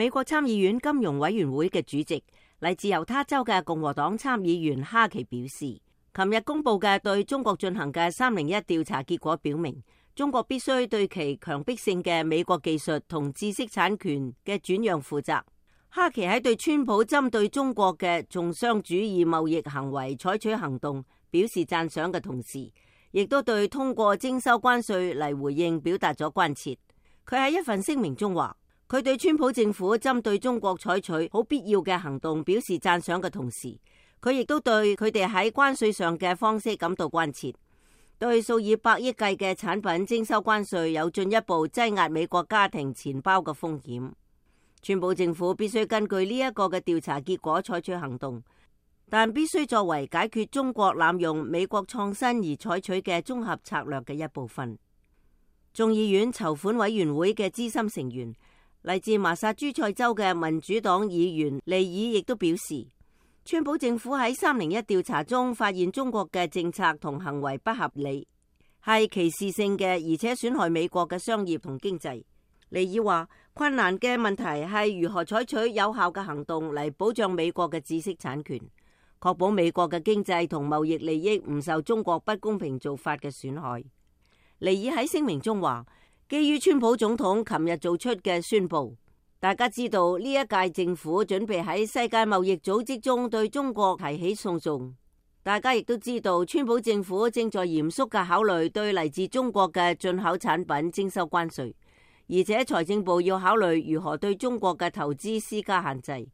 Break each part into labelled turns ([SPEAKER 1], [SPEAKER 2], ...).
[SPEAKER 1] 美國參議院金融委員會嘅主席，嚟自猶他州嘅共和黨參議員哈奇表示，琴日公布嘅對中國進行嘅301調查結果表明，中國必須對其強迫性嘅美國技術同知識產權嘅轉讓負責。哈奇喺對川普針對中國嘅重商主義貿易行為採取行動表示讚賞嘅同時，亦都對通過徵收關稅嚟回應表達咗關切。佢喺一份聲明中話，佢對川普政府針對中國採取好必要嘅行動表示讚賞嘅同時，佢亦都對佢哋喺關稅上嘅方式感到關切，對數以百億計嘅產品徵收關稅有進一步擠壓美國家庭錢包嘅風險。川普政府必須根據呢一個嘅調查結果採取行動，但必須作為解決中國濫用美國創新而採取嘅綜合策略嘅一部分。眾議院籌款委員會嘅資深成員，嚟自麻薩諸塞州嘅民主黨議員利爾亦都表示，川普政府喺301調查中發現中國嘅政策同行為不合理，係歧視性嘅，而且損害美國嘅商業同經濟。利爾話，困難嘅問題係如何採取有效嘅行動嚟保障美國嘅知識產權，確保美國嘅經濟同貿易利益唔受中國不公平做法嘅損害。尼爾喺聲明中話，基於川普總統琴日做出嘅宣佈，大家知道呢一屆政府準備喺世界貿易組織中對中國提起訴訟。大家亦都知道，川普政府正在嚴肅嘅考慮對嚟自中國嘅進口產品徵收關稅，而且財政部要考慮如何對中國嘅投資施加限制。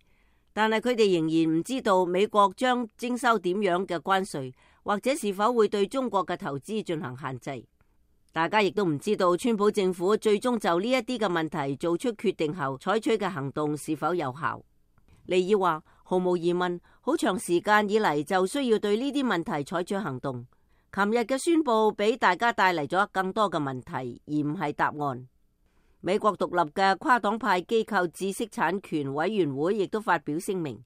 [SPEAKER 1] 但係佢哋仍然唔知道美國將徵收點樣嘅關稅，或者是否會對中國嘅投資進行限制。大家亦都唔知道川普政府最終就呢一啲嘅問題做出決定後採取嘅行動是否有效。利爾話，毫無疑問，好長時間以嚟就需要對呢啲問題採取行動。琴日嘅宣佈俾大家帶嚟咗更多嘅問題，而唔係答案。美國獨立嘅跨黨派機構知識產權委員會亦都發表聲明，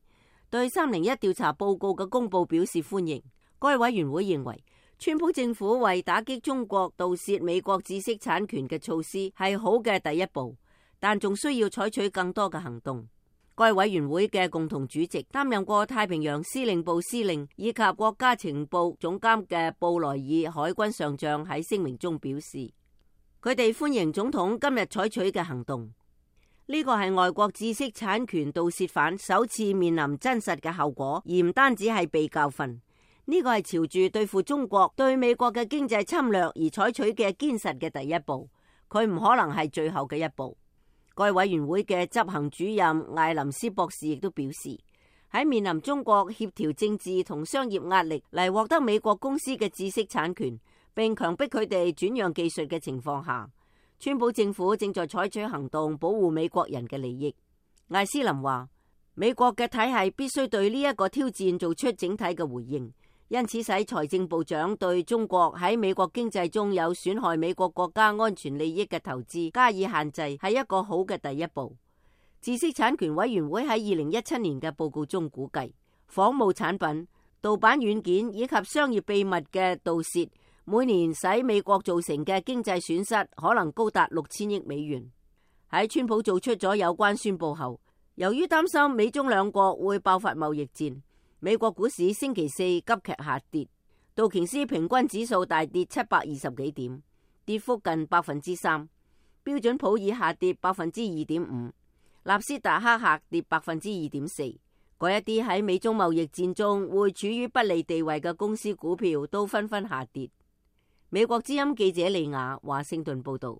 [SPEAKER 1] 對301調查報告嘅公佈表示歡迎。該委員會認為，川普政府為打擊中國盜竊美國知識產權嘅措施係好嘅第一步，但仲需要採取更多嘅行動。該委員會嘅共同主席、擔任過太平洋司令部司令以及國家情報總監嘅布萊爾海軍上將喺聲明中表示，佢哋歡迎總統今日採取嘅行動。呢個係外國知識產權盜竊犯首次面臨真實嘅後果，而唔單止係被教訓。呢個係朝住對付中國、對美國嘅經濟侵略而採取嘅堅實嘅第一步，佢唔可能係最後嘅一步。該委員會嘅執行主任艾林斯博士亦都表示，喺面臨中國協調政治同商業壓力嚟獲得美國公司嘅知識產權，並強迫佢哋轉讓技術嘅情況下，川普政府正在採取行動保護美國人嘅利益。艾斯林話，美國嘅體系必須對呢一個挑戰做出整體嘅回應。因此，使財政部長對中國喺美國經濟中有損害美國國家安全利益嘅投資加以限制，係一個好嘅第一步。知識產權委員會喺2017年嘅報告中估計，仿冒產品、盜版軟件以及商業秘密嘅盜竊，每年使美國造成嘅經濟損失可能高達6000億美元。喺川普做出咗有關宣佈後，由於擔心美中兩國會爆發貿易戰，美國股市星期四急劇下跌，道瓊斯平均指數大跌720幾點，跌幅近3%；標準普爾下跌2.5%，納斯達克下跌2.4%。嗰一啲喺美中貿易戰中會處於不利地位嘅公司股票都紛紛下跌。美國之音記者利亞華盛頓報道。